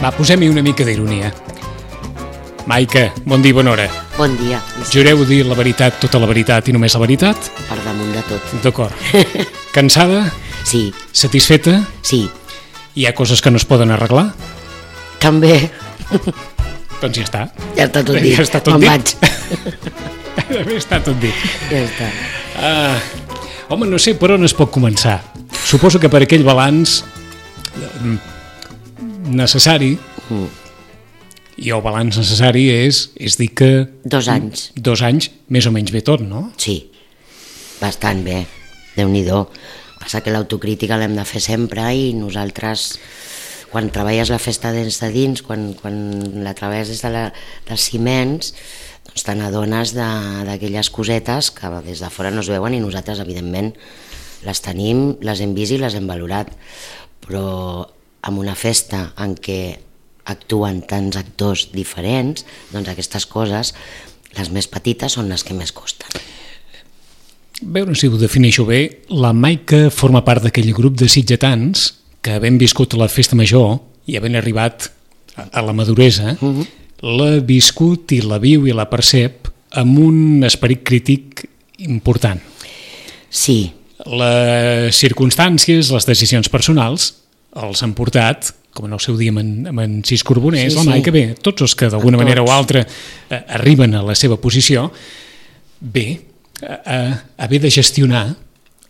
Va, posem-hi una mica d'ironia. Maica, bon dia i bona hora. Bon dia. Jureu dir la veritat, tota la veritat i només la veritat? Per damunt de tot. D'acord. Cansada? Sí. Satisfeta? Sí. Hi ha coses que no es poden arreglar? També. Doncs ja està. Ja està tot dit. Ja està tot Me'n dit. vaig. Ja està tot dit. Ja està. Home, no sé per on es pot començar. Suposo que per aquell balanç necessari, i el balanç necessari és dir que... 2 anys. 2 anys, més o menys bé tot, no? Sí. Bastant bé. Déu-n'hi-do. Passa que l'autocrítica l'hem de fer sempre i nosaltres, quan treballes la festa des de dins, quan la treballes des dels ciments, doncs te n'adones d'aquelles cosetes que des de fora no es veuen i nosaltres, evidentment, les tenim, les hem vist i les hem valorat. Però amb una festa en què actuen tants actors diferents, doncs aquestes coses, les més petites, són les que més costen. A veure si ho defineixo bé, la Maica forma part d'aquell grup de sitgetans que, havent viscut la festa major i havent arribat a la maduresa, l'ha viscut i la viu i la percep amb un esperit crític important. Sí. Les circumstàncies, les decisions personals els han portat, com en el seu dia amb en Cis Corbonés, la Maica, bé, tots els que d'alguna manera o altra arriben a la seva posició, bé, a haver de gestionar...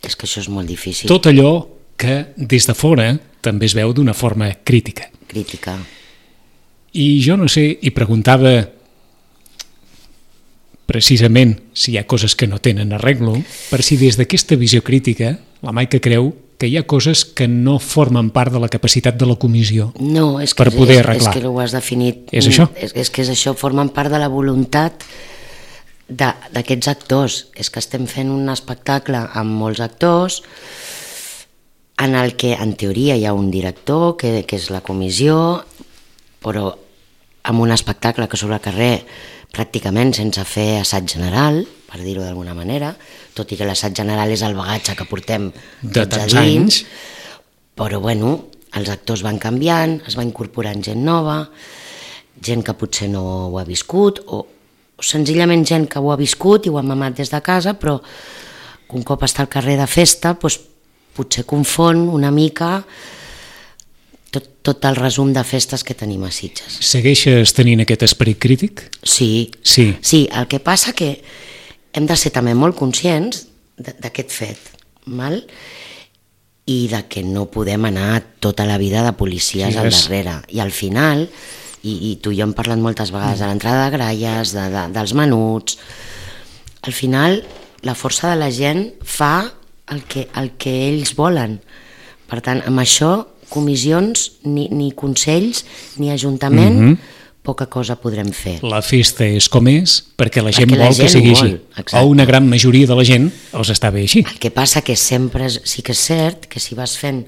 És que això és molt difícil. Tot allò que des de fora també es veu d'una forma crítica. Crítica. I jo no sé, i preguntava precisament si hi ha coses que no tenen arreglo, per si des d'aquesta visió crítica la Maica creu que hi ha coses que no formen part de la capacitat de la comissió per poder arreglar. És que ho has definit. És això? És que és això, formen part de la voluntat d'aquests actors. És que estem fent un espectacle amb molts actors en el que en teoria hi ha un director que és la comissió, però amb un espectacle que sobre el carrer pràcticament sense fer assaig general, per dir-ho d'alguna manera, tot i que l'assaig general és el bagatge que portem de tots tants a dins, anys. Però bueno, els actors van canviant, es va incorporant gent nova, gent que potser no ho ha viscut, o senzillament gent que ho ha viscut i ho ha mamat des de casa, però un cop està al carrer de festa, doncs, potser confon una mica tot el resum de festes que tenim a Sitges. Segueixes tenint aquest esperit crític? Sí. Sí, el que passa que hem de ser també molt conscients d'aquest fet, val? I de que no podem anar tota la vida de policies al darrere. I al final, i tu i jo hem parlat moltes vegades de l'entrada de gralles, dels menuts, al final la força de la gent fa el que ells volen. Per tant, amb això, comissions, ni consells, ni ajuntament, poca cosa podrem fer. La festa és com és perquè la gent vol que sigui així. O una gran majoria de la gent els està bé així. El que passa que sempre sí que és cert que si vas fent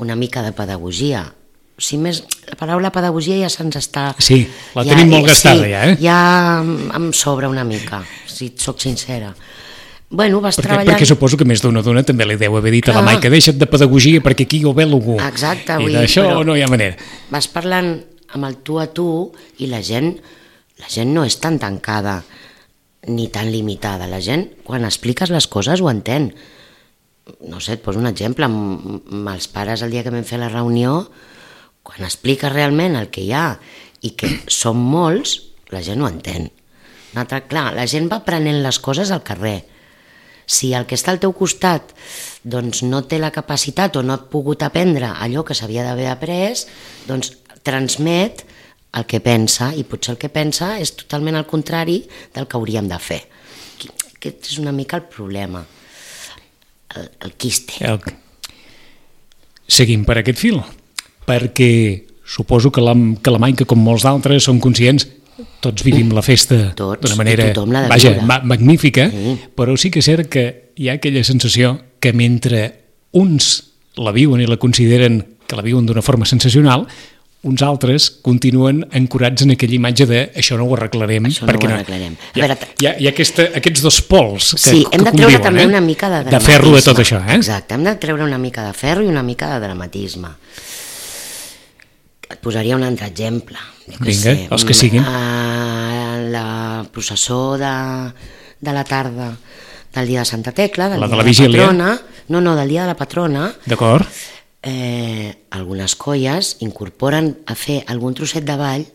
una mica de pedagogia, si més, la paraula pedagogia ja se'ns està... Sí, la tenim molt gastada ja, Ja em sobra una mica, si et soc sincera. Bueno, vas treballant... Perquè suposo que més d'una dona també li deu haver dit a la Maica, deixa't de pedagogia perquè aquí ho ve algú. Exacte. I d'això no hi ha manera. Vas parlant amb el tu a tu i la gent no és tan tancada ni tan limitada. La gent, quan expliques les coses, ho entén. No sé, et poso un exemple. Amb els pares, el dia que vam fer la reunió, quan expliques realment el que hi ha i que som molts, la gent ho entén. Clar, la gent va aprenent les coses al carrer. Si el que està al teu costat doncs no té la capacitat o no ha pogut aprendre allò que s'havia d'haver après, doncs transmet el que pensa, i potser el que pensa és totalment al contrari del que hauríem de fer. Aquest és una mica el problema, el quiste. Seguim per aquest fil, perquè suposo que la Maica, com molts d'altres, són conscients. Tots vivim la festa d'una manera magnífica, però sí que és cert que hi ha aquella sensació que mentre uns la viuen i la consideren que la viuen d'una forma sensacional, uns altres continuen ancorats en aquella imatge de això no ho arreglarem. Això no ho arreglarem. Hi ha aquests dos pols que conviuen. Sí, hem de treure també una mica de dramatisme. De ferro de tot això. Exacte, hem de treure una mica de ferro i una mica de dramatisme. Et posaria un altre exemple. Vinga, els que siguin. La processó de la tarda del dia de Santa Tecla, del la dia de la vigília. Patrona, no, del dia de la patrona. D'acord. Algunes colles incorporen a fer algun trosset de ball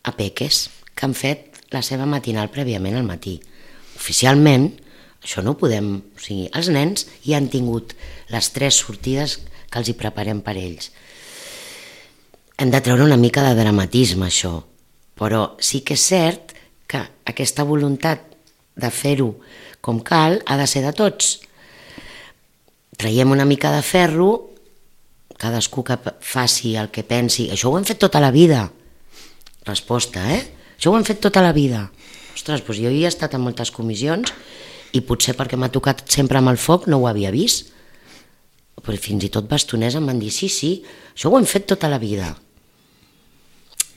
a peques que han fet la seva matinal prèviament al matí. Oficialment, això no ho podem... O sigui, els nens ja han tingut les 3 sortides que els hi preparem per ells. Hem de treure una mica de dramatisme, això, però sí que és cert que aquesta voluntat de fer-ho com cal ha de ser de tots. Traiem una mica de ferro, cadascú que faci el que pensi. Això ho hem fet tota la vida. Resposta, Això ho hem fet tota la vida. Ostres, doncs jo hi he estat en moltes comissions i potser perquè m'ha tocat sempre amb el foc no ho havia vist. Però fins i tot bastoners em van dir sí, això ho hem fet tota la vida.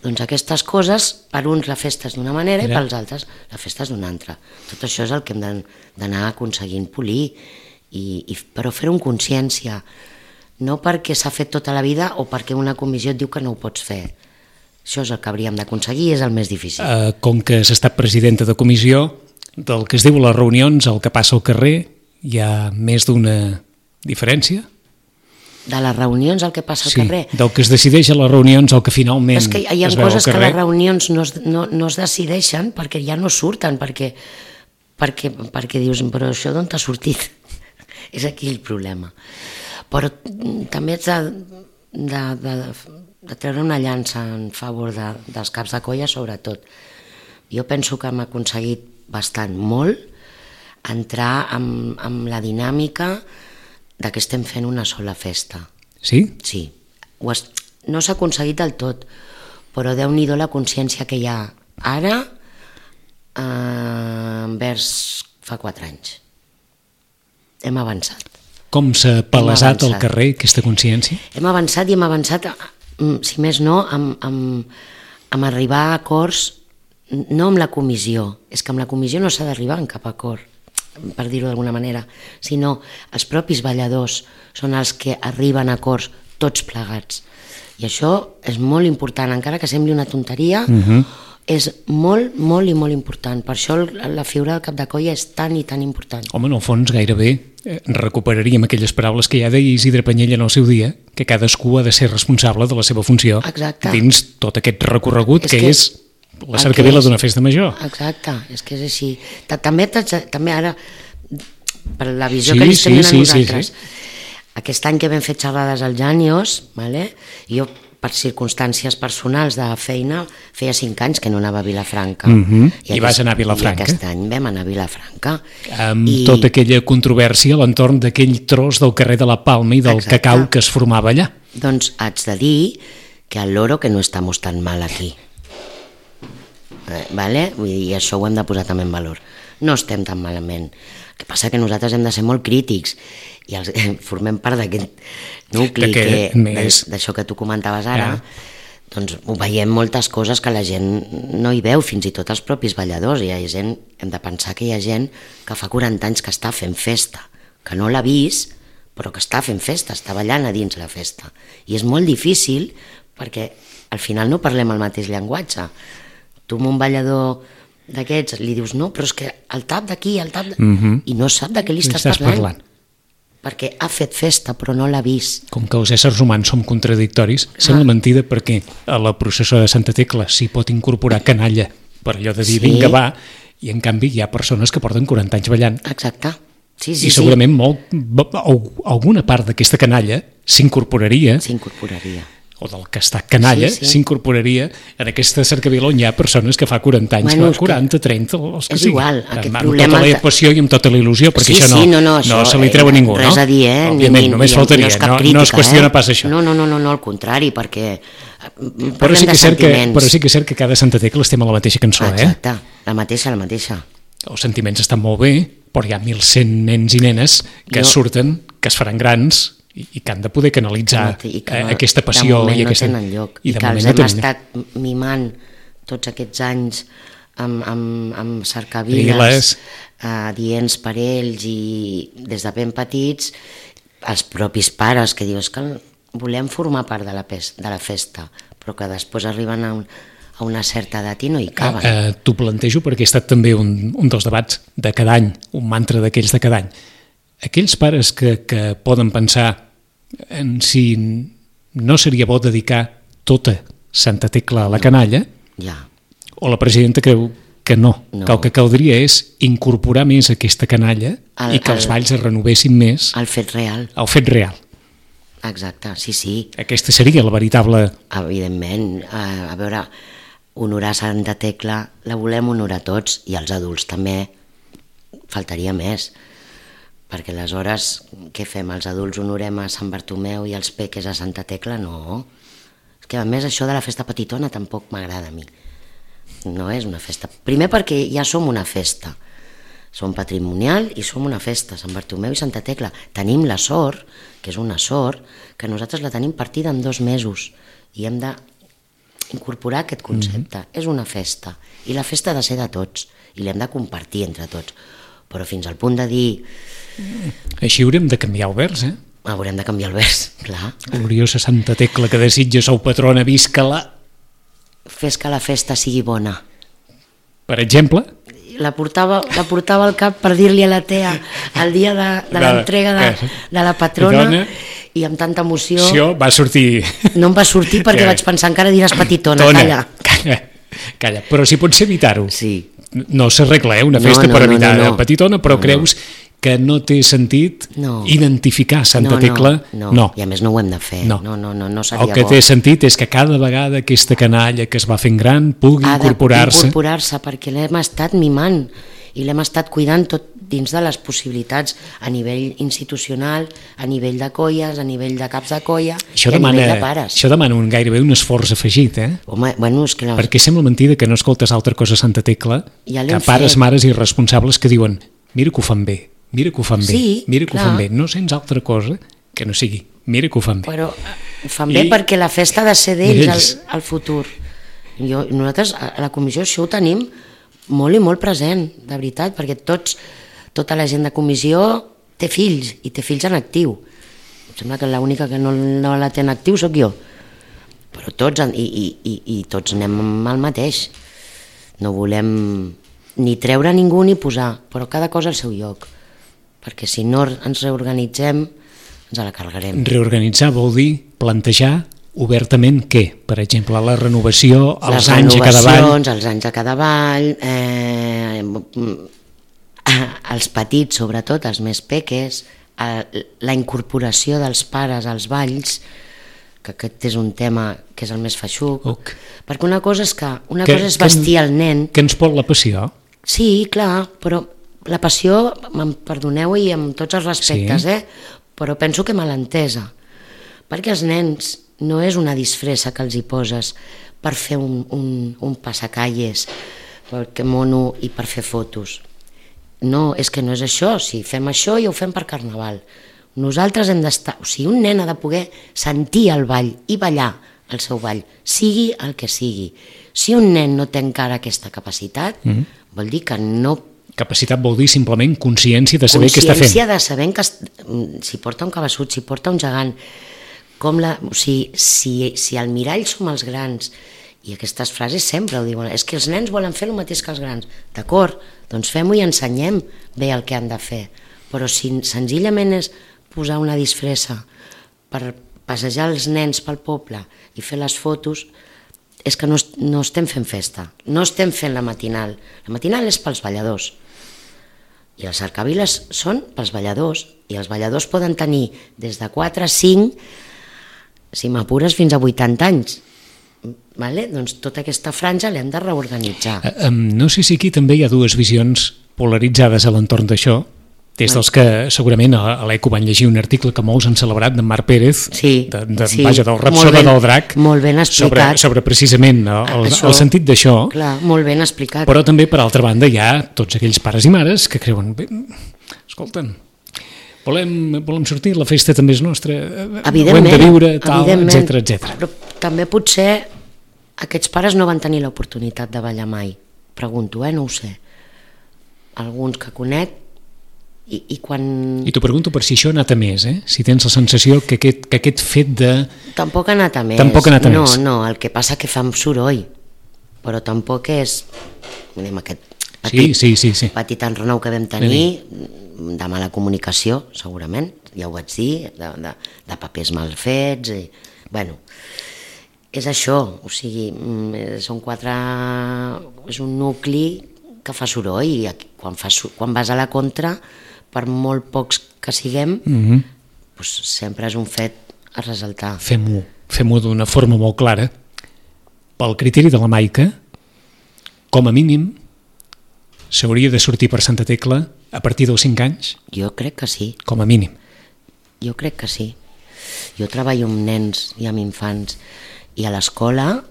Doncs aquestes coses, per uns la festa és d'una manera i per als altres la festa és d'una altra. Tot això és el que hem d'anar aconseguint polir, però fer-ho amb consciència, no perquè s'ha fet tota la vida o perquè una comissió et diu que no ho pots fer. Això és el que hauríem d'aconseguir i és el més difícil. Com que s'ha estat presidenta de comissió, del que es diu a les reunions, el que passa al carrer, hi ha més d'una diferència? De les reunions el que passa al carrer. Del que es decideix a les reunions, el que finalment es veu al carrer. Hi ha coses que a les reunions no es decideixen perquè ja no surten, perquè dius, però això d'on t'ha sortit? És aquí el problema. Però també ets de treure una llança en favor dels caps de colla, sobretot. Jo penso que hem aconseguit bastant molt entrar amb la dinàmica de que estem fent una sola festa. Sí? Sí. No s'ha aconseguit del tot, però Déu-n'hi-do la consciència que hi ha ara envers fa 4 anys. Hem avançat. Com s'ha palesat al carrer aquesta consciència? Hem avançat i hem avançat, si més no, amb arribar a acords, no amb la comissió, és que amb la comissió no s'ha d'arribar en cap acord, per dir-ho d'alguna manera, sinó els propis balladors són els que arriben a acords tots plegats. I això és molt important, encara que sembli una tonteria, és molt, molt i molt important. Per això la figura del cap de colla és tan i tan important. Home, en el fons gairebé recuperaríem aquelles paraules que ja deia Isidre Penyella en el seu dia, que cadascú ha de ser responsable de la seva funció. Exacte. Dins tot aquest recorregut que és la cercavila d'una festa major. Exacte, és que és així. També ara, per la visió que li estem donant nosaltres, aquest any que vam fer xerrades al Janios, jo per circumstàncies personals de feina feia 5 anys que no anava a Vilafranca. I vas anar a Vilafranca. I aquest any vam anar a Vilafranca. Amb tota aquella controvèrsia a l'entorn d'aquell tros del carrer de la Palma i del cacau que es formava allà. Doncs haig de dir que al loro que no estamos tan mal aquí. Vull dir, i això ho hem de posar també en valor. No estem tan malament. El que passa que nosaltres hem de ser molt crítics i formem part d'aquest nucli d'això que tu comentaves ara, doncs ho veiem moltes coses que la gent no hi veu, fins i tot els propis balladors. Hem de pensar que hi ha gent que fa 40 anys que està fent festa, que no l'ha vist, però que està fent festa, està ballant a dins la festa. I és molt difícil perquè al final no parlem el mateix llenguatge. Tu amb un ballador d'aquests li dius no, però és que el tap d'aquí, el tap... I no sap de què li estàs parlant. Perquè ha fet festa però no l'ha vist. Com que els éssers humans som contradictoris, sembla mentida perquè a la processó de Santa Tecla s'hi pot incorporar canalla per allò de dir vinga va, i en canvi hi ha persones que porten 40 anys ballant. Exacte. Sí, I segurament alguna part d'aquesta canalla s'incorporaria, o del que està canalla, s'incorporaria en aquesta cercavila on hi ha persones que fa 40 anys, 40, 30, els que sigui. És igual, aquest amb problema... tota la passió i amb tota la il·lusió, perquè això no se li treu a ningú, no? Res a dir, òbviament, només faltaria, no es qüestiona pas això. No, al contrari, perquè però sí que és cert que cada Santa Tecla estem a la mateixa cançó, Exacte, la mateixa. Els sentiments estan molt bé, però hi ha 1.100 nens i nenes que surten, que es faran grans i que han de poder canalitzar aquesta passió i aquesta... no tenen lloc i que els hem estat mimant tots aquests anys amb cercaviles dients per ells i des de ben petits els propis pares que dius que volem formar part de la festa però que després arriben a una certa edat i no hi caben. T'ho plantejo perquè ha estat també un dels debats de cada any, un mantra d'aquells de cada any. Aquells pares que poden pensar en si no seria bo dedicar tota Santa Tecla a la canalla, o la presidenta creu que no, que el que caldria és incorporar més aquesta canalla i que els balls es renovessin més. El fet real. El fet real. Exacte, sí. Aquesta seria la veritable... Evidentment, a veure, honorar Santa Tecla la volem honorar tots, i els adults també, faltaria més, perquè aleshores què fem? Els adults honorem a Sant Bartomeu i els peques a Santa Tecla? No. És que a més això de la festa petitona tampoc m'agrada a mi. No és una festa. Primer perquè ja som una festa. Som patrimonial i som una festa, Sant Bartomeu i Santa Tecla. Tenim la sort, que és una sort, que nosaltres la tenim partida en 2 mesos i hem d'incorporar aquest concepte. És una festa i la festa ha de ser de tots i l'hem de compartir entre tots. Però fins al punt de dir... Així haurem de canviar el vers, Haurem de canviar el vers, clar. Gloriosa Santa Tecla, que desitja sou patrona, visca-la. Fes que la festa sigui bona. Per exemple? La portava al cap per dir-li a la Tea el dia de l'entrega de la patrona i amb tanta emoció... Va sortir... No em va sortir perquè vaig pensar encara diràs petitona, calla. Però si pots evitar-ho. Sí. No s'arregla, una festa per evitar la petitona, però creus que no té sentit identificar Santa Tecla? No, i a més no ho hem de fer. No seria bo. El que té sentit és que cada vegada aquesta canalla que es va fent gran pugui incorporar-se. Perquè l'hem estat mimant i l'hem estat cuidant tot dins de les possibilitats a nivell institucional, a nivell de colles, a nivell de caps de colla i a nivell de pares. Això demana gairebé un esforç afegit, Home, és que... Perquè sembla mentida que no escoltes altra cosa a Santa Tecla que pares, mares i responsables que diuen mira que ho fan bé, mira que ho fan bé, mira que ho fan bé. No sents altra cosa que no sigui mira que ho fan bé. Però ho fan bé perquè la festa ha de ser d'ells al futur. Nosaltres a la comissió això ho tenim molt i molt present, de veritat, perquè tota la gent de comissió té fills, i té fills en actiu. Em sembla que l'única que no la té en actiu sóc jo. Però tots, i tots anem al mateix. No volem ni treure ningú ni posar, però cada cosa al seu lloc. Perquè si no ens reorganitzem, ens la carregarem. Reorganitzar vol dir plantejar obertament què? Per exemple, la renovació, els anys a cada ball... Les renovacions, els anys a cada ball, els petits, sobretot, els més peques, la incorporació dels pares als balls, que aquest és un tema que és el més feixuc, perquè una cosa és vestir el nen... Que ens pot la passió? Sí, clar, però la passió, perdoneu i amb tots els respectes, però penso que mal entesa, perquè els nens no és una disfressa que els hi poses per fer un passacalles, perquè mono i per fer fotos. No, és que no és això. Si fem això ja ho fem per Carnaval. Nosaltres hem d'estar... O sigui, un nen ha de poder sentir el ball i ballar el seu ball, sigui el que sigui. Si un nen no té encara aquesta capacitat, vol dir que no... Capacitat vol dir simplement consciència de saber què està fent. Consciència de saber que si porta un cabeçut, si porta un gegant, si al mirall som els grans, i aquestes frases sempre ho diuen, és que els nens volen fer el mateix que els grans. D'acord, doncs fem-ho i ensenyem bé el que han de fer, però si senzillament és posar una disfressa per passejar els nens pel poble i fer les fotos, és que no estem fent festa, no estem fent la matinal. La matinal és pels balladors i les cercaviles són pels balladors, i els balladors poden tenir des de 4 a 5, si m'apures, fins a 80 anys. Doncs tota aquesta franja l'hem de reorganitzar. No sé si aquí també hi ha dues visions polaritzades a l'entorn d'això, des dels que segurament a l'ECO van llegir un article que molts han celebrat d'en Marc Pérez, del Rapsoda del Drac, molt ben explicat, sobre precisament el sentit d'això. Clar, molt ben explicat. Però també, per altra banda, hi ha tots aquells pares i mares que creuen, escolta'm, volem sortir, la festa també és nostra, ho hem de viure, tal, etc. Però també potser aquests pares no van tenir l'oportunitat de ballar mai. Pregunto, no ho sé. Alguns que conec I quan... I t'ho pregunto per si això ha anat a més, si tens la sensació que aquest fet de... Tampoc ha anat a més. No, el que passa que fa soroll, però tampoc és aquest petit enrenou que vam tenir de mala comunicació, segurament, ja ho vaig dir, de papers mal fets, bueno, és això, o sigui, són és un nucli que fa soroll i quan vas a la contra, per molt pocs que siguem, sempre és un fet a ressaltar. Fem-ho d'una forma molt clara. Pel criteri de la Maica, com a mínim, s'hauria de sortir per Santa Tecla a partir dels 5 anys? Jo crec que sí. Com a mínim? Jo crec que sí. Jo treballo amb nens i amb infants i a l'escola,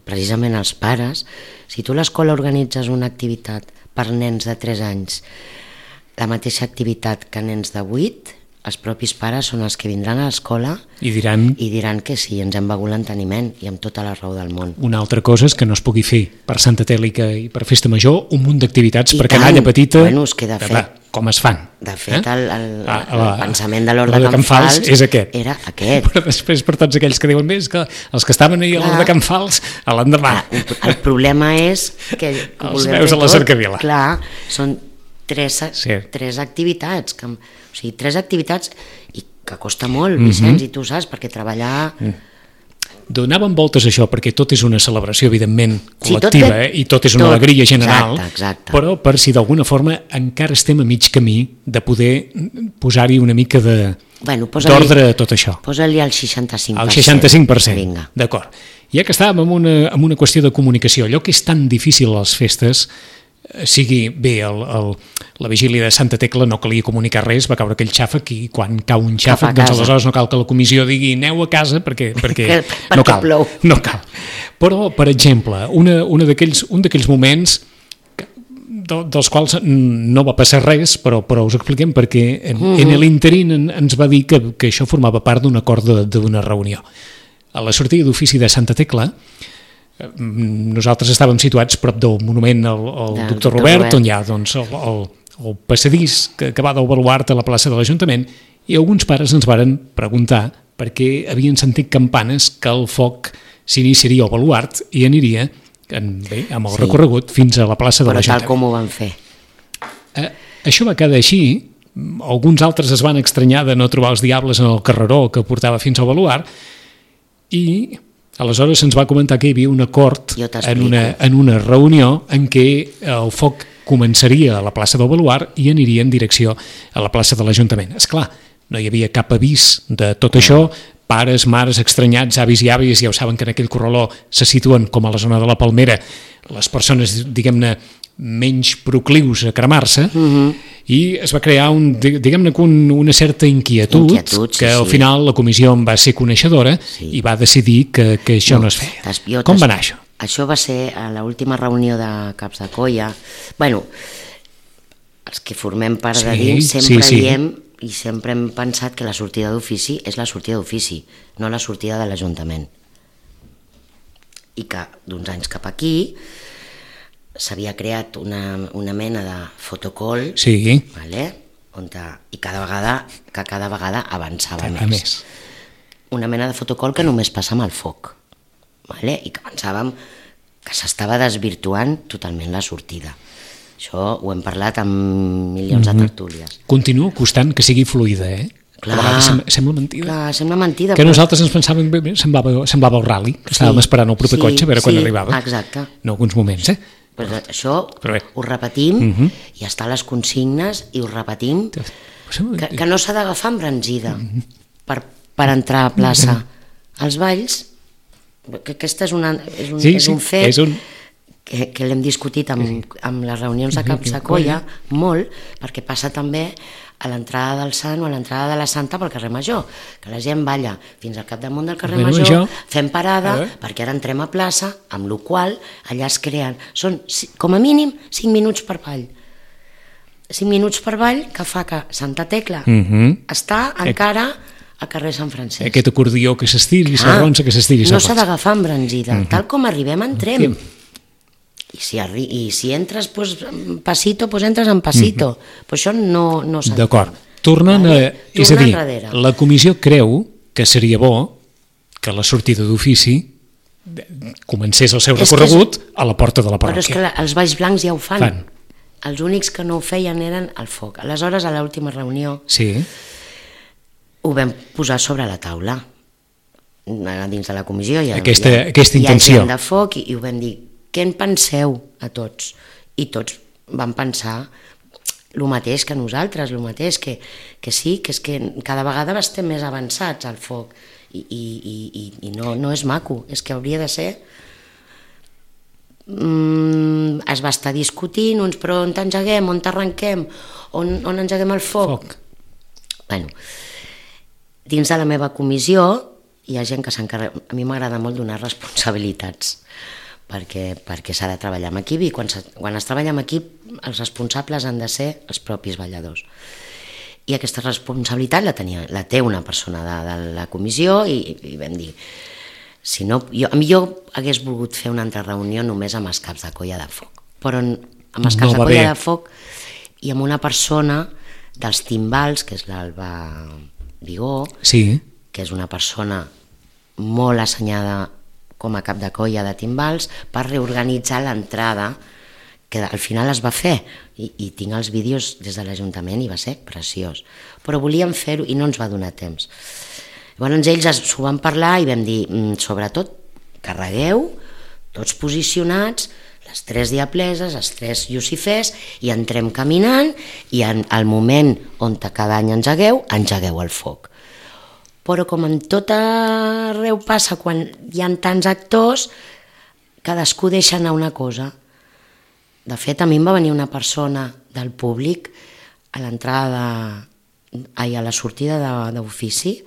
precisament els pares, si tu a l'escola organitzes una activitat per nens de 3 anys, la mateixa activitat que nens de 8, els propis pares són els que vindran a l'escola i diran que sí, ens hem begut l'enteniment i amb tota la raó del món. Una altra cosa és que no es pugui fer per Santa Tèlica i per Festa Major un munt d'activitats per canalla petita, es queda fet. Com es fan. De fet, el pensament de l'Hort de Can Fals és aquest. Era aquest. Però després per tots aquells que diuen més que els que estaven ahir a l'Hort de Can Fals a l'endemà. El problema és que els veus a la cercavila. Clar, són tres activitats, o sigui, 3 activitats i que costa molt, Vicenç, i tu saps, perquè treballar... Donàvem voltes a això, perquè tot és una celebració, evidentment, col·lectiva, i tot és una alegria general, però per si d'alguna forma encara estem a mig camí de poder posar-hi una mica d'ordre a tot això. Posa-li el 65%. El 65%, d'acord. Ja que estàvem en una qüestió de comunicació, allò que és tan difícil a les festes, sigui bé la vigília de Santa Tecla, no calia comunicar res, va caure aquell xàfec i quan cau un xàfec, doncs aleshores no cal que la comissió digui aneu a casa perquè no cal. Però, per exemple, un d'aquells moments dels quals no va passar res, però us expliquem perquè en l'interín ens va dir que això formava part d'un acord d'una reunió. A la sortida d'ofici de Santa Tecla, nosaltres estàvem situats prop del monument al doctor Robert, on hi ha el passadís que va del baluart a la plaça de l'Ajuntament, i alguns pares ens varen preguntar per què havien sentit campanes que el foc s'iniciaria al baluart i aniria amb el recorregut fins a la plaça de l'Ajuntament. Però tal com ho van fer. Això va quedar així, alguns altres es van estranyar de no trobar els diables en el carreró que portava fins al baluart, i aleshores se'ns va comentar que hi havia un acord en una reunió en què el foc començaria a la plaça del Baluart i aniria en direcció a la plaça de l'Ajuntament. Esclar, no hi havia cap avís de tot això, pares, mares, estranyats, avis i àvies, ja ho saben que en aquell corraló se situen, com a la zona de la Palmera, les persones, diguem-ne, menys proclius a cremar-se, i es va crear una certa inquietud que al final la comissió en va ser coneixedora i va decidir que això no es feia. Com va anar això? Això va ser a l'última reunió de caps de colla. Bueno, els que formem part de dins sempre diem i sempre hem pensat que la sortida d'ofici és la sortida d'ofici, no la sortida de l'Ajuntament. I que d'uns anys cap aquí s'havia creat una mena de fotocall, i cada vegada avançava més. Una mena de fotocall que només passa amb el foc, i que pensàvem que s'estava desvirtuant totalment la sortida. Això ho hem parlat amb milions de tertúlies. Continua costant que sigui fluida, Clar, a vegades sembla mentida. Clar, sembla mentida. Que nosaltres ens pensàvem, semblava el rally, que estàvem esperant el proper cotxe a veure quan arribava. Exacte. En alguns moments, Pues això ho repetim i està a les consignes i ho repetim que no s'ha d'agafar embranzida per entrar a plaça. Els balls, que aquest és un fet que l'hem discutit amb les reunions de caps de colla molt, perquè passa també a l'entrada del Sant o a l'entrada de la Santa pel carrer Major, que la gent balla fins al capdamunt del carrer Major, fem parada perquè ara entrem a plaça, amb la qual allà es creen, són com a mínim 5 minuts per ball. 5 minuts per ball que fa que Santa Tecla està encara a carrer Sant Francesc. Aquest acordió que s'estiri, s'arronsa, que s'estiri, no s'ha d'agafar embranzida, tal com arribem entrem. I si entres en passito, doncs entres en passito. Però això no s'entén. D'acord. Tornant és a dir, la comissió creu que seria bo que la sortida d'ofici comencés el seu recorregut a la porta de la parròquia. Però és que els Baix Blancs ja ho fan. Els únics que no ho feien eren el foc. Aleshores, a l'última reunió, ho vam posar sobre la taula, dins de la comissió. Aquesta intenció. Hi ha gent de foc i ho vam dir, què en penseu a tots? I tots van pensar el mateix que nosaltres, el mateix, que sí, que és que cada vegada estem més avançats al foc i no és maco, és que hauria de ser... Es va estar discutint uns, però on t'engeguem, on t'arrenquem, on engeguem el foc? Bueno, dins de la meva comissió hi ha gent que s'encarrega, a mi m'agrada molt donar responsabilitats, perquè s'ha de treballar en equip i quan es treballa en equip els responsables han de ser els propis balladors. I aquesta responsabilitat la té una persona de la comissió i vam dir, si no, jo hagués volgut fer una altra reunió només amb els caps de colla de foc, però amb els caps de colla de foc i amb una persona dels timbals, que és l'Alba Vigó, que és una persona molt assenyada com a cap de colla de timbals, per reorganitzar l'entrada, que al final es va fer, i tinc els vídeos des de l'Ajuntament i va ser preciós. Però volíem fer-ho i no ens va donar temps. Llavors ells s'ho van parlar i vam dir, sobretot, carregueu, tots posicionats, les 3 diapleses, els 3 lucifers, i entrem caminant, i al moment on cada any engegueu el foc. Però com en tot arreu passa quan hi ha tants actors, cadascú deixa anar una cosa. De fet, a mi em va venir una persona del públic a l'entrada, a la sortida d'ofici,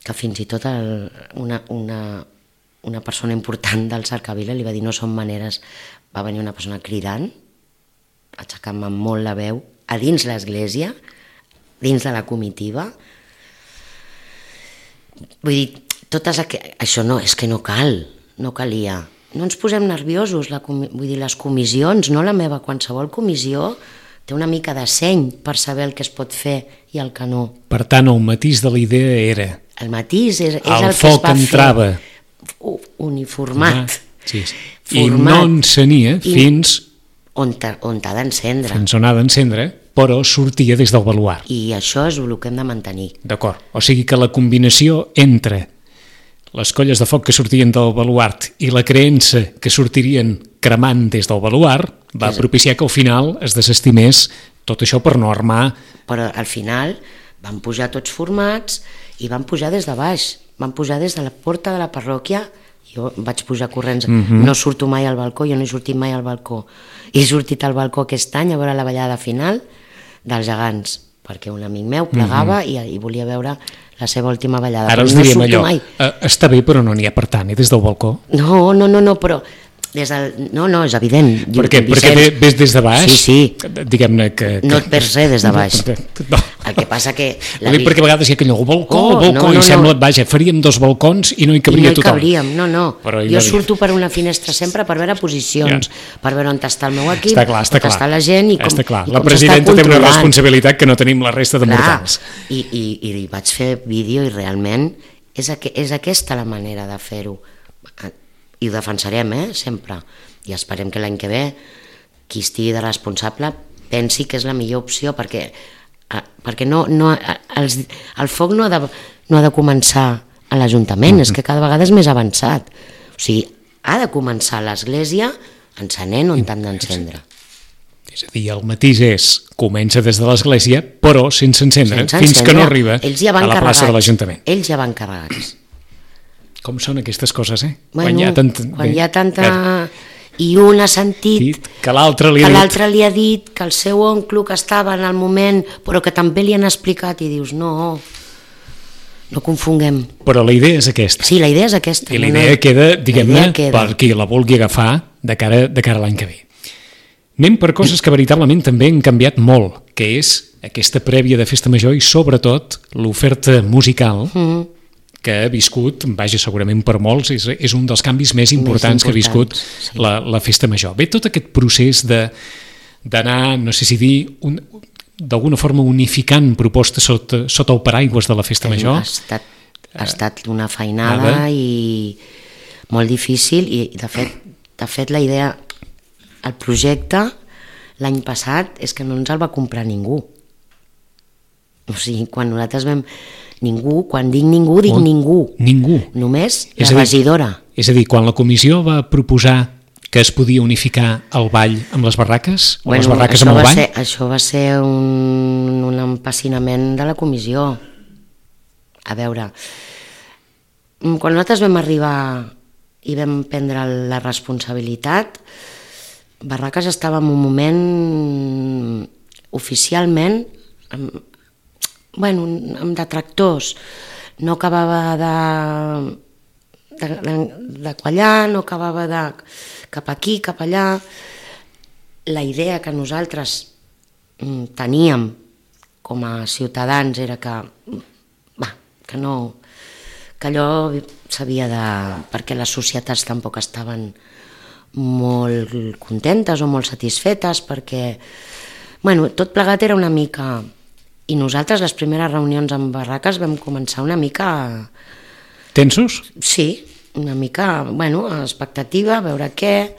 que fins i tot una persona important del Cercavila li va dir no són maneres, va venir una persona cridant, aixecant-me molt la veu, a dins l'església, dins de la comitiva. Vull dir, això no, és que no calia. No ens posem nerviosos, vull dir, les comissions, no la meva, qualsevol comissió té una mica de seny per saber el que es pot fer i el que no. Per tant, el matís de la idea era... El matís és el que es va fer. El foc entrava... Uniformat. I no encenia fins... On ha d'encendre. Fins on ha d'encendre, però sortia des del baluart. I això és el que hem de mantenir. D'acord, o sigui que la combinació entre les colles de foc que sortien del baluart i la creença que sortirien cremant des del baluart va propiciar que al final es desestimés tot això per no armar... Però al final van pujar tots formats i van pujar des de baix, van pujar des de la porta de la parròquia. Jo vaig pujar corrents, no surto mai al balcó, jo no he sortit mai al balcó. He sortit al balcó aquest any a veure la ballada final dels gegants, perquè un amic meu plegava i volia veure la seva última ballada. Ara us diríem allò, està bé però no n'hi ha per tant, des del balcó? No, però... No, és evident. Perquè ves des de baix? Sí. Diguem-ne que... No et perds res des de baix. El que passa que... Perquè a vegades hi ha aquell balcó, i sembla, vaja, faríem 2 balcons i no hi cabria tothom. No hi cabríem, no. Jo surto per una finestra sempre per veure posicions, per veure on està el meu equip, on està la gent i com s'està controlant. La presidenta té una responsabilitat que no tenim la resta de mortals. I vaig fer vídeo i realment és aquesta la manera de fer-ho. I ho defensarem, sempre. I esperem que l'any que ve qui estigui de responsable pensi que és la millor opció, perquè el foc no ha de començar a l'Ajuntament, és que cada vegada és més avançat. O sigui, ha de començar a l'església encenent on t'han d'encendre. És a dir, el matís comença des de l'església, però sense encendre, fins que no arriba a la plaça de l'Ajuntament. Ells ja van carregats. Com són aquestes coses, Quan hi ha tanta... I un ha sentit que l'altre li ha dit que el seu oncle que estava en el moment, però que també li han explicat, i dius, no confonguem. Però la idea és aquesta. Sí, la idea és aquesta. I la idea queda, diguem-ne, per qui la vulgui agafar de cara a l'any que ve. Anem per coses que veritablement també han canviat molt, que és aquesta prèvia de Festa Major i sobretot l'oferta musical, que ha viscut, vaja, segurament per molts, és un dels canvis més importants que ha viscut la Festa Major. Bé, tot aquest procés d'anar, no sé si dir, d'alguna forma unificant propostes sota el paraigües de la Festa Major. Ha estat una feinada i molt difícil i de fet la idea, el projecte l'any passat és que no ens el va comprar ningú. O sigui, quan nosaltres vam... Ningú, quan dic ningú, dic ningú. Ningú. Només la regidora. És a dir, quan la comissió va proposar que es podia unificar el ball amb les barraques? O les barraques amb el ball? Això va ser un empassinament de la comissió. A veure, quan nosaltres vam arribar i vam prendre la responsabilitat, Barraques estava en un moment oficialment amb detractors, no acabava de quallar, no acabava de cap aquí, cap allà. La idea que nosaltres teníem com a ciutadans era que allò s'havia de... perquè les societats tampoc estaven molt contentes o molt satisfetes, perquè tot plegat era una mica... I nosaltres, les primeres reunions amb Barraques, vam començar una mica... Tensos? Sí, una mica, expectativa, a veure què,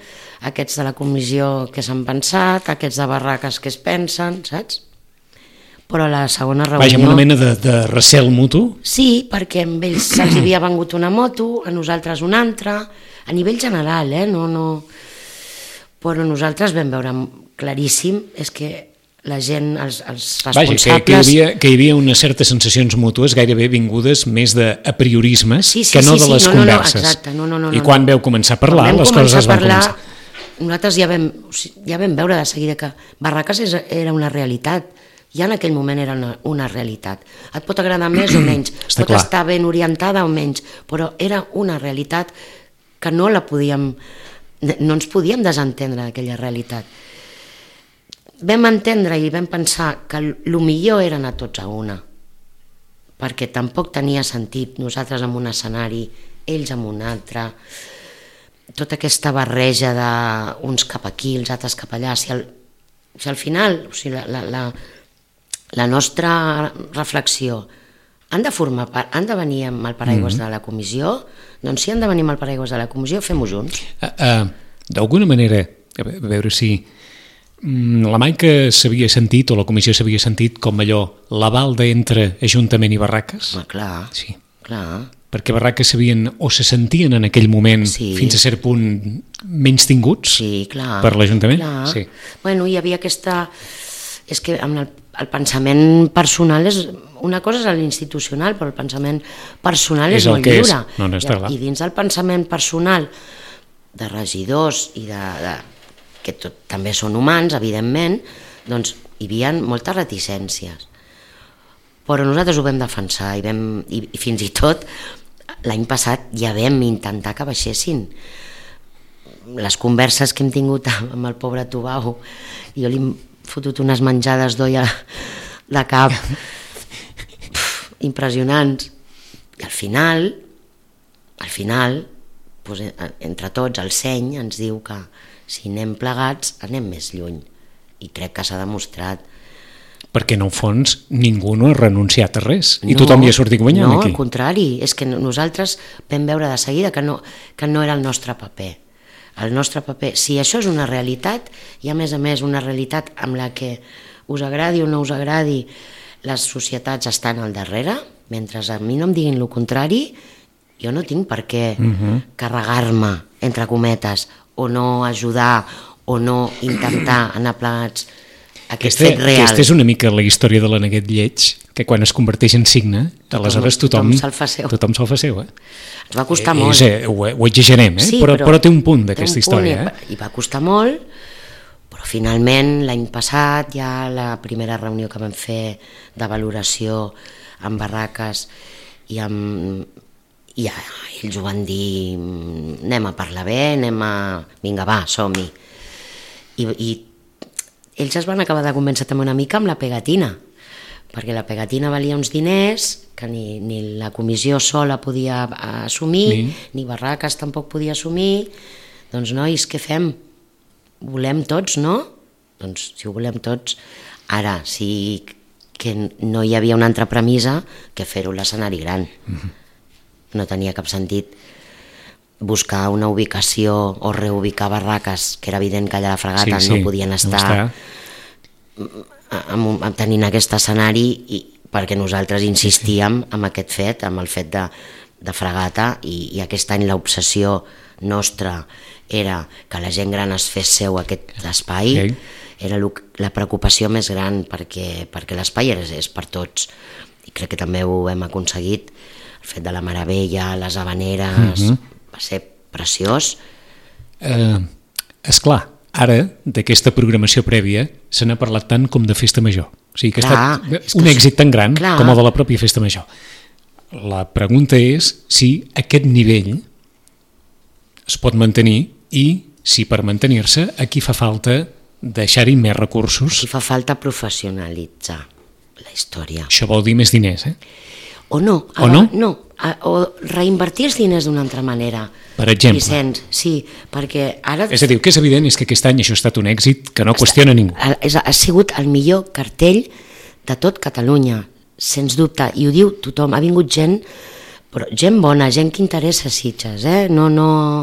aquests de la comissió què s'han pensat, aquests de Barraques què es pensen, saps? Però a la segona reunió... Vaja, una mena de recel mutu? Sí, perquè amb ells se'ls havia vengut una moto, a nosaltres una altra, a nivell general, no... Però nosaltres vam veure claríssim, és que la gent, els responsables... Vaja, que hi havia unes certes sensacions mútues gairebé vingudes més d'apriorismes que no de les converses. Exacte, no. I quan veu començar a parlar, les coses es van començar. Nosaltres ja vam veure de seguida que Barraques era una realitat, ja en aquell moment era una realitat. Et pot agradar més o menys, pot estar ben orientada o menys, però era una realitat que no ens podíem desentendre d'aquella realitat. Vam entendre i vam pensar que el millor era anar tots a una, perquè tampoc tenia sentit nosaltres en un escenari, ells en un altre, tota aquesta barreja d'uns cap aquí, els altres cap allà. Si al final, la nostra reflexió, han de venir amb el paraigües de la comissió, doncs si han de venir amb el paraigües de la comissió, fem-ho junts. D'alguna manera, a veure si... La Maica s'havia sentit, o la comissió s'havia sentit, com allò, l'aval d'entre Ajuntament i Barraques? Clar, sí. Clar. Perquè Barraques se sentien en aquell moment, fins a cert punt, menys tinguts per l'Ajuntament? Sí. Hi havia aquesta... És que el pensament personal és... Una cosa és l'institucional, però el pensament personal és molt lliure. I dins del pensament personal de regidors i que també són humans, evidentment, doncs hi havia moltes reticències. Però nosaltres ho vam defensar i fins i tot l'any passat ja vam intentar que baixessin. Les converses que hem tingut amb el pobre Tubau, jo li hem fotut unes menjades d'olla de cap impressionants. I al final, entre tots, el seny ens diu que si anem plegats anem més lluny, i crec que s'ha demostrat. Perquè en el fons ningú no ha renunciat a res i tothom hi ha sortit guanyant aquí. No, al contrari, és que nosaltres vam veure de seguida que no era el nostre paper. El nostre paper, si això és una realitat, i a més una realitat amb la que us agradi o no us agradi, les societats estan al darrere, mentre a mi no em diguin el contrari, jo no tinc per què carregar-me, entre cometes, o no ajudar, o no intentar anar plegats aquest fet real. Aquesta és una mica la història de l'Aneguet Lleig, que quan es converteix en signe, aleshores tothom se'l fa seu. Ens va costar molt. Ho exagerem, però té un punt d'aquesta història. I va costar molt, però finalment l'any passat, ja la primera reunió que vam fer de valoració amb Barraques i ells ho van dir, anem a parlar bé, vinga va, som-hi. I ells es van acabar de convèncer també una mica amb la pegatina, perquè la pegatina valia uns diners que ni la comissió sola podia assumir, ni Barraques tampoc podia assumir. Doncs, nois, què fem? Volem tots, no? Doncs, si ho volem tots, ara sí que no hi havia una altra premissa que fer-ho a l'escenari gran. No tenia cap sentit buscar una ubicació o reubicar Barraques, que era evident que allà a la Fragata no podien estar tenint aquest escenari, perquè nosaltres insistíem en aquest fet, amb el fet de Fragata, i aquest any l'obsessió nostra era que la gent gran es fes seu aquest espai. Era la preocupació més gran, perquè l'espai és per tots, i crec que també ho hem aconseguit. El fet de la Meravella, les Havaneres, va ser preciós. Esclar, ara d'aquesta programació prèvia se n'ha parlat tant com de Festa Major, o sigui que ha estat un èxit tan gran com el de la pròpia Festa Major. La pregunta és si aquest nivell es pot mantenir i si per mantenir-se aquí fa falta deixar-hi més recursos. Aquí fa falta professionalitzar la història. Això vol dir més diners, O no? O reinvertir els diners d'una altra manera. Per exemple? Vicenç, sí, perquè ara... És a dir, el que és evident és que aquest any això ha estat un èxit que no qüestiona ningú. Ha sigut el millor cartell de tot Catalunya, sens dubte, i ho diu tothom. Ha vingut gent, però gent bona, gent que interessa Sitges, No,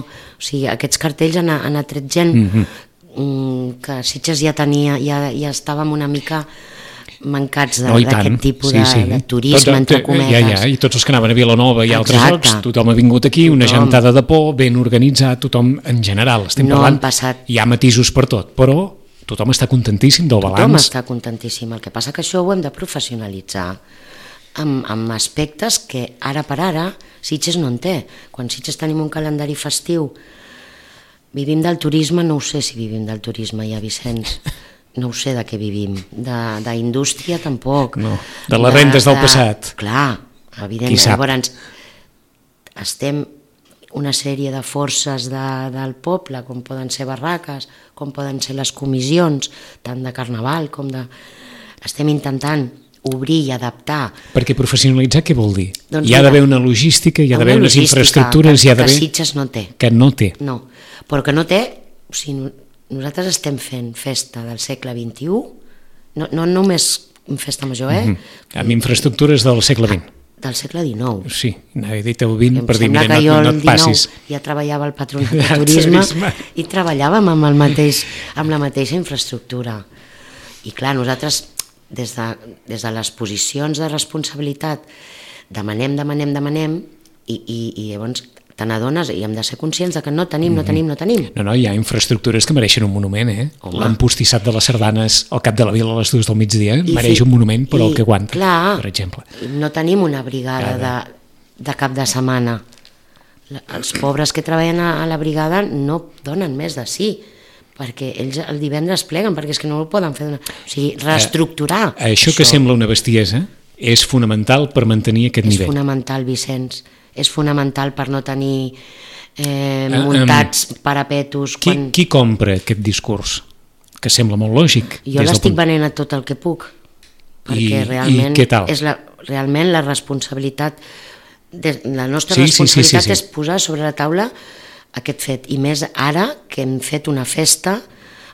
o sigui, aquests cartells han atret gent que Sitges ja tenia, ja estàvem una mica mancats d'aquest tipus de turisme, entre cometes. I tots els que anaven a Vilanova i altres llocs, tothom ha vingut aquí, una gentada de por, ben organitzat, tothom en general, estem parlant, hi ha matisos per tot, però tothom està contentíssim del balanç. Tothom està contentíssim, el que passa que això ho hem de professionalitzar amb aspectes que ara per ara Sitges no en té. Quan Sitges tenim un calendari festiu, vivim del turisme, no ho sé si vivim del turisme ja, Vicenç. No ho sé de què vivim, d'indústria tampoc. No, de les rendes del passat. Clar, evidentment. Llavors, estem una sèrie de forces del poble, com poden ser Barraques, com poden ser les comissions, tant de Carnaval com de... Estem intentant obrir i adaptar. Perquè professionalitzar què vol dir? Hi ha d'haver una logística, hi ha d'haver unes infraestructures, hi ha d'haver... Que Sitges no té. Que no té. No, però que no té... O sigui, nosaltres estem fent festa del segle XXI, no només festa major, Amb infraestructures del segle XX. Del segle XIX. Sí, n'havia dit el XX per dir, mira, no et passis. Ja treballava al Patronat de Turisme i treballàvem amb la mateixa infraestructura. I clar, nosaltres, des de les posicions de responsabilitat, demanem, i llavors te n'adones i hem de ser conscients que no tenim. No, hi ha infraestructures que mereixen un monument, L'empostissat de les sardanes al cap de la vila a les 2 del migdia mereix un monument per al que aguanta, per exemple. No tenim una brigada de cap de setmana. Els pobres que treballen a la brigada no donen més de sí, perquè ells el divendres pleguen, perquè és que no ho poden fer. O sigui, reestructurar. Això que sembla una bestiesa és fonamental per mantenir aquest nivell. És fonamental, Vicenç. És fonamental per no tenir muntats parapetos. Qui compra aquest discurs? Que sembla molt lògic. Jo l'estic venent a tot el que puc, perquè realment és realment la responsabilitat, la nostra responsabilitat és posar sobre la taula aquest fet, i més ara que hem fet una festa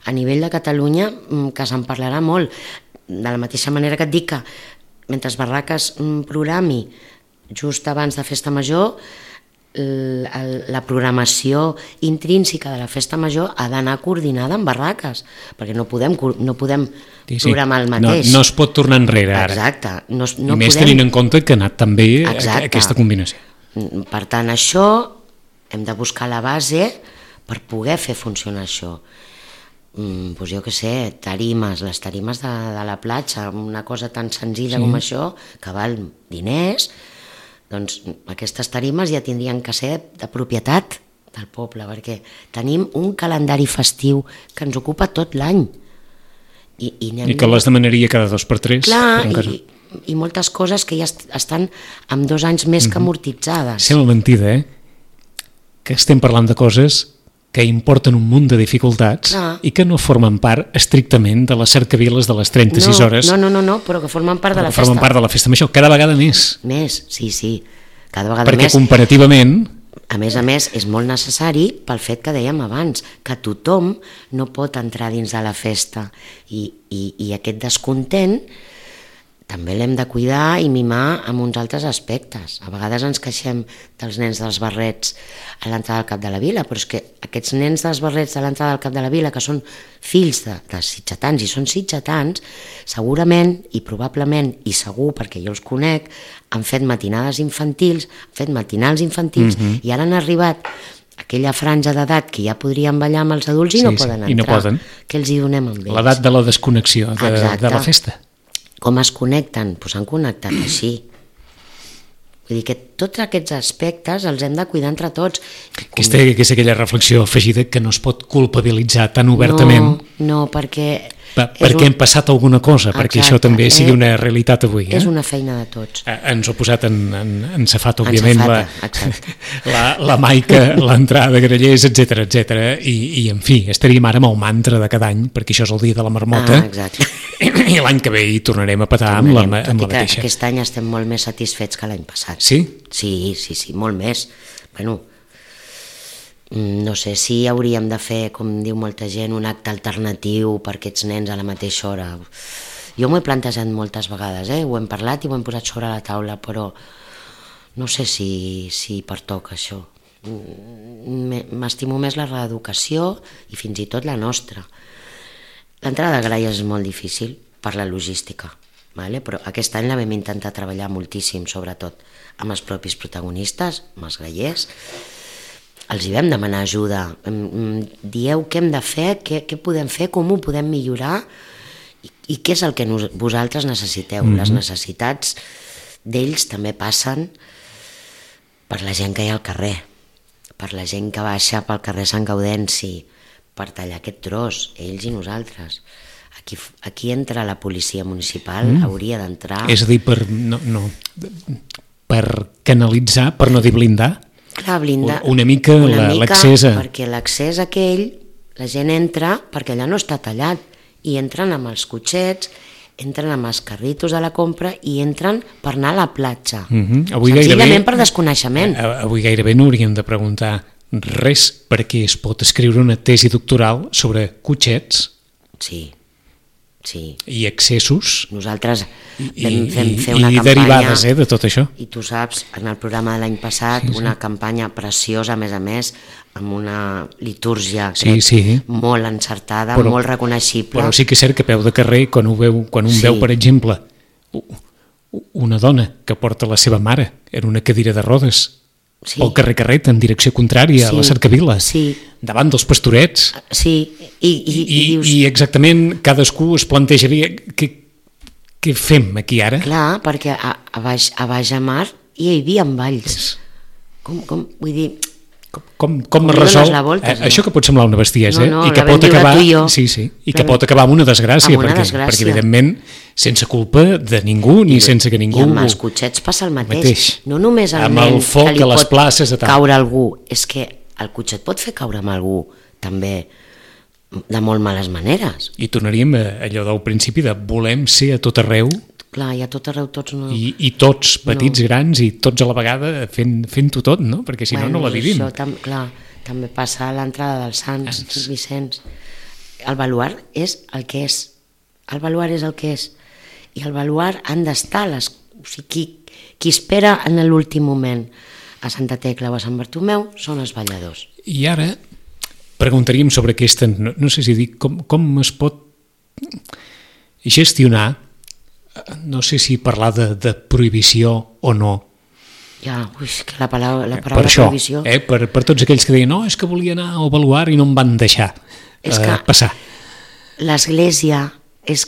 a nivell de Catalunya que se'n parlarà molt, de la mateixa manera que et dic que mentre Barraques programi just abans de Festa Major, la programació intrínseca de la Festa Major ha d'anar coordinada amb Barraques, perquè no podem programar el mateix. No es pot tornar enrere ara. Exacte. I més tenint en compte que ha anat també aquesta combinació. Per tant, això hem de buscar la base per poder fer funcionar això. Doncs jo què sé, les tarimes de la platja, una cosa tan senzilla com això, que val diners. Doncs aquestes tarimes ja tindrien que ser de propietat del poble, perquè tenim un calendari festiu que ens ocupa tot l'any. I que les demanaria cada 2 per 3. Clar, i moltes coses que ja estan amb 2 anys més que amortitzades. Sembla mentida, que estem parlant de coses que importen un munt de dificultats i que no formen part estrictament de les cercaviles de les 36 hores. No, però que formen part de la festa. Formen part de la festa major, cada vegada més. Més, sí, cada vegada perquè més. Perquè comparativament... A més, és molt necessari pel fet que dèiem abans, que tothom no pot entrar dins de la festa i aquest descontent també l'hem de cuidar i mimar amb uns altres aspectes. A vegades ens queixem dels nens dels barrets a l'entrada del Cap de la Vila, però és que aquests nens dels barrets a l'entrada del Cap de la Vila, que són fills de sitgetans i són sitgetans, segurament i probablement, i segur perquè jo els conec, han fet matinades infantils, han fet matinals infantils i ara han arribat aquella franja d'edat que ja podrien ballar amb els adults i no poden entrar. I no poden. Què els hi donem amb ells? L'edat de la desconnexió de la festa. Com es connecten? Doncs s'han connectat així. Vull dir que tots aquests aspectes els hem de cuidar entre tots. Aquesta és aquella reflexió afegida que no es pot culpabilitzar tan obertament. No, perquè... Perquè hem passat alguna cosa, perquè això també sigui una realitat avui. És una feina de tots. Ens ho ha posat en safata, òbviament, la Maica, l'entrada de Grallers, etc. I, en fi, estaríem ara amb el mantra de cada any, perquè això és el dia de la marmota, i l'any que ve hi tornarem a petar amb la mateixa. Aquest any estem molt més satisfets que l'any passat. Sí? Sí, molt més. Bueno, no sé si hauríem de fer, com diu molta gent, un acte alternatiu per aquests nens a la mateixa hora. Jo m'ho he plantejat moltes vegades, ho hem parlat i ho hem posat sobre la taula, però no sé si pertoca això. M'estimo més la reeducació i fins i tot la nostra. L'entrada de gralles és molt difícil per la logística, però aquest any la vam intentar treballar moltíssim, sobretot amb els propis protagonistes, amb els grallers. Els hi vam demanar ajuda, dieu què hem de fer, què podem fer, com ho podem millorar i què és el que vosaltres necessiteu. Les necessitats d'ells també passen per la gent que hi ha al carrer, per la gent que baixa pel carrer Sant Gaudenci, per tallar aquest tros, ells i nosaltres. Aquí entra la policia municipal, hauria d'entrar... És a dir, per canalitzar, per no dir blindar? Clar, blindar una mica l'accés perquè l'accés aquell, la gent entra perquè allà no està tallat i entren amb els cotxets, entren amb els carritos de la compra i entren per anar a la platja, senzillament per desconeixement. Avui gairebé no hauríem de preguntar res perquè es pot escriure una tesi doctoral sobre cotxets i accessos nosaltres vam fer una campanya i derivades de tot això, i tu saps, en el programa de l'any passat una campanya preciosa, a més amb una litúrgia molt encertada, molt reconeixible, però sí que és cert que a peu de carrer quan un veu per exemple una dona que porta la seva mare en una cadira de rodes pel carrer en direcció contrària a la cercavila, davant dels pastorets, i exactament cadascú es plantejaria què fem aquí ara? Clar, perquè a baix a mar hi havia balls, vull dir, com es resol això que pot semblar una bestiesa i que pot acabar que pot acabar amb una desgràcia, perquè evidentment sense culpa de ningú ni sense que ningú... I amb els cotxets passa el mateix. No només el nen que li pot caure algú, és que el cotxet pot fer caure amb algú també de molt males maneres. I tornaríem a allò del principi de volem ser a tot arreu. Clar, i a tot arreu tots no... I tots, petits, grans, i tots a la vegada fent-ho tot, no? Perquè si no la vivim. Això, clar, també passa a l'entrada dels Sants Vicenç. El baluard és el que és. El baluard és el que és. I el baluard han d'estar qui espera en l'últim moment a Santa Tecla o a Sant Bartomeu són els balladors. I ara preguntaríem sobre aquesta, no sé si dir, com es pot gestionar, no sé si parlar de prohibició o no. Que la paraula prohibició... Per tots aquells que deien, no, és que volia anar al baluard i no em van deixar passar. L'església és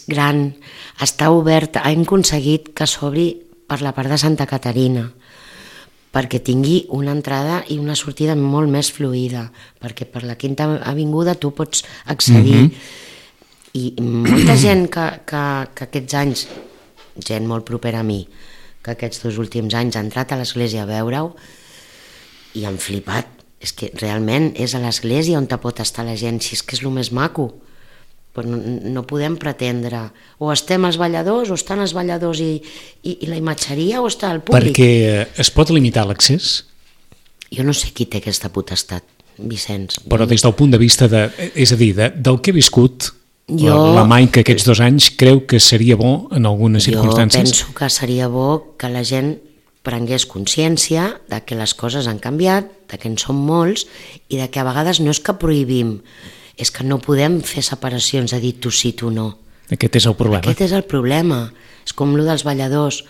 gran, està oberta, hem aconseguit que s'obri per la part de Santa Caterina, perquè tingui una entrada i una sortida molt més fluida, perquè per la Quinta Avinguda tu pots accedir. I molta gent que aquests anys, gent molt propera a mi, que aquests 2 últims anys ha entrat a l'església a veure-ho i han flipat, És que realment és a l'església on te pot estar la gent, si és que és el més maco. Però no podem pretendre, o estem els balladors, o estan els balladors i la imatgeria, o està el públic. Perquè es pot limitar l'accés? Jo no sé qui té aquesta potestat, Vicenç. Però des del punt de vista és a dir, del que he viscut, la Maica aquests 2 anys, creu que seria bo en algunes circumstàncies? Jo penso que seria bo que la gent prengués consciència de que les coses han canviat, de que en som molts i de que a vegades no és que prohibim, és que no podem fer separacions de dir tu sí, tu no. Aquest és el problema. Aquest és el problema. És com el dels balladors.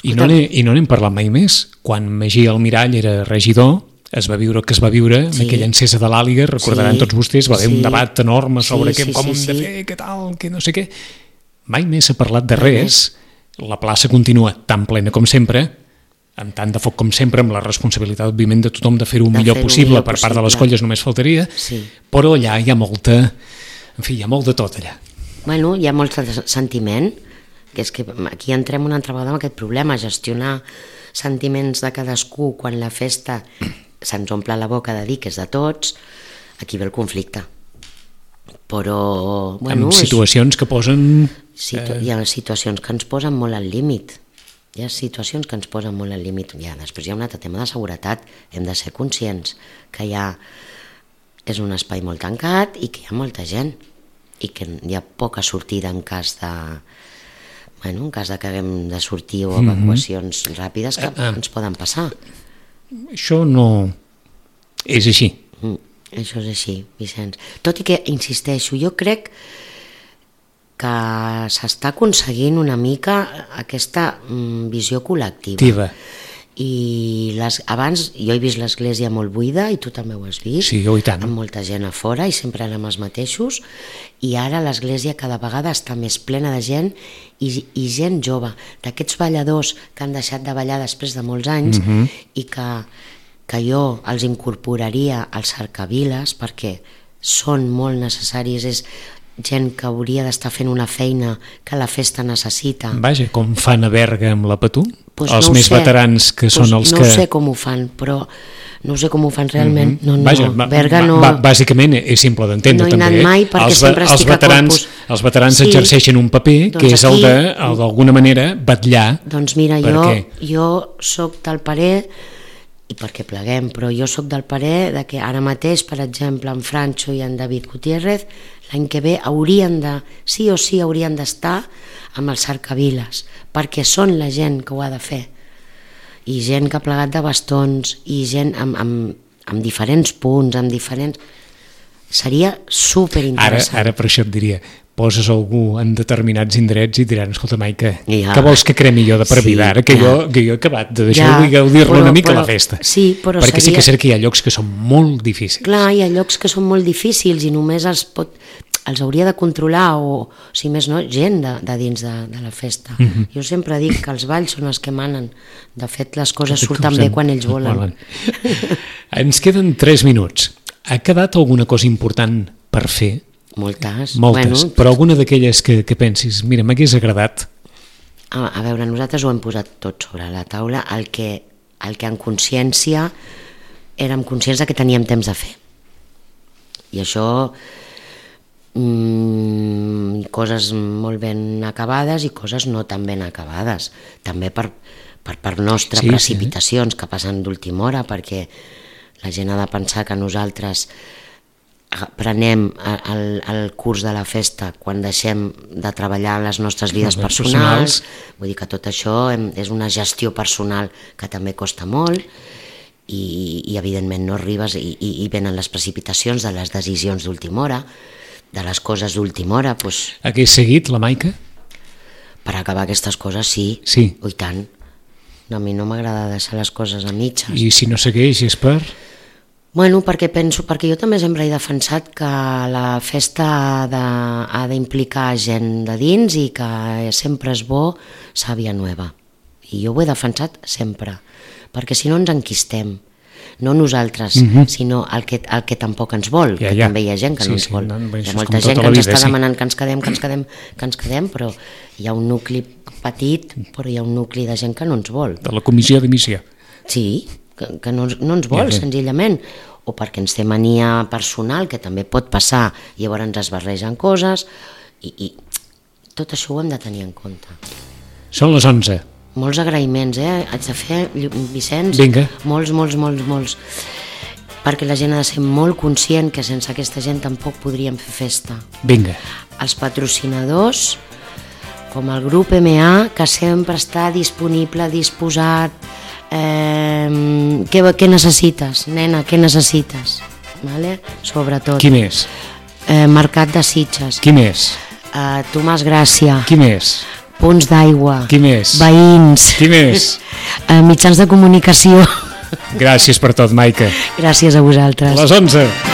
I no n'hem parlat mai més. Quan Magí Almirall era regidor, es va viure el que es va viure amb aquella encesa de l'Àliga, recordaran tots vostès, va haver un debat enorme sobre com hem de fer, què tal, què no sé què. Mai més s'ha parlat de res. La plaça continua tan plena com sempre, amb tant de foc com sempre, amb la responsabilitat, òbviament, de tothom de fer-ho el millor possible per part de les colles, només faltaria, però allà hi ha molta... En fi, hi ha molt de tot allà. Bueno, hi ha molt de sentiment, que és que aquí entrem una altra vegada amb aquest problema, gestionar sentiments de cadascú quan la festa se'ns omple la boca de dir que és de tots, aquí ve el conflicte. Però... Bueno, amb situacions que posen... Hi ha situacions que ens posen molt al límit. Hi ha situacions que ens posen molt al límit. Després hi ha un altre tema de seguretat. Hem de ser conscients que és un espai molt tancat i que hi ha molta gent i que hi ha poca sortida en cas de... en cas de que haguem de sortir o evacuacions ràpides que ens poden passar. Això no... és així. Això és així, Vicenç. Tot i que, insisteixo, jo crec que s'està aconseguint una mica aquesta visió col·lectiva. I abans jo he vist l'església molt buida i tu també ho has vist, amb molta gent a fora i sempre érem els mateixos, i ara l'església cada vegada està més plena de gent i gent jove, d'aquests balladors que han deixat de ballar després de molts anys i que jo els incorporaria als cercaviles perquè són molt necessaris, és gent que hauria d'estar fent una feina que la festa necessita. Vaja, com fan a Berga amb la Patú? Els més veterans que són els que... No sé com ho fan, però no sé com ho fan realment. Vaja, Berga no... Bàsicament és simple d'entendre també. No he anat mai perquè sempre estic a corpus. Els veterans exerceixen un paper que és el de, d'alguna manera, vetllar. Doncs mira, jo soc del parer, i perquè pleguem, però jo soc del parer de que ara mateix, per exemple, en Francho i en David Gutiérrez, l'any que ve sí o sí haurien d'estar amb els cercaviles, perquè són la gent que ho ha de fer. I gent que ha plegat de bastons, i gent amb diferents punts, amb diferents... Seria superinteressant. Ara per això et diria, poses algú en determinats indrets i diran, escolta, Maica, què vols que cremi jo de per vida ara? Que jo he acabat de deixar-ho i gaudir-lo una mica a la festa. Sí, però perquè sí que és cert que hi ha llocs que són molt difícils. Clar, hi ha llocs que són molt difícils i només els hauria de controlar o, si més no, gent de dins de la festa. Jo sempre dic que els balls són els que manen. De fet, les coses surten bé quan ells volen. Ens queden 3 minuts. Ha quedat alguna cosa important per fer? Moltes. Però alguna d'aquelles que pensis, mira, m'hagués agradat. A veure, nosaltres ho hem posat tot sobre la taula, el que en consciència érem conscients que teníem temps de fer. I això, coses molt ben acabades i coses no tan ben acabades. També per nostres precipitacions que passen d'última hora, perquè la gent ha de pensar que nosaltres prenem el curs de la festa quan deixem de treballar en les nostres vides personals. Vull dir que tot això és una gestió personal que també costa molt i evidentment no arribes i venen les precipitacions de les decisions d'última hora, de les coses d'última hora. Hagués seguit la Maica? Per acabar aquestes coses sí. I tant. A mi no m'agrada deixar les coses a mitges. I si no segueix és per...? Bueno, perquè jo també sempre he defensat que la festa ha d'implicar gent de dins i que sempre és bo sàvia nueva. I jo ho he defensat sempre, perquè si no ens enquistem. No nosaltres, sinó el que tampoc ens vol, que també hi ha gent que no ens vol. Hi ha molta gent que ens està demanant que ens quedem, però hi ha un nucli petit, però hi ha un nucli de gent que no ens vol. De la comissió d'emissió. Sí, que no ens vol, senzillament, o perquè ens té mania personal, que també pot passar, llavors ens es barregen coses, i tot això ho hem de tenir en compte. Són les 11. Molts agraïments, haig de fer, Vicenç, molts, perquè la gent ha de ser molt conscient que sense aquesta gent tampoc podríem fer festa. Vinga. Els patrocinadors, com el grup MA, que sempre està disponible, disposat. Què necessites, nena, què necessites? Vale? Sobretot. Qui més? Mercat de Sitges. Qui més? Tomàs Gràcia. Qui més? Punts d'aigua. Qui més? Veïns. Qui més? Mitjans de comunicació. Gràcies per tot, Maica. Gràcies a vosaltres. Les 11.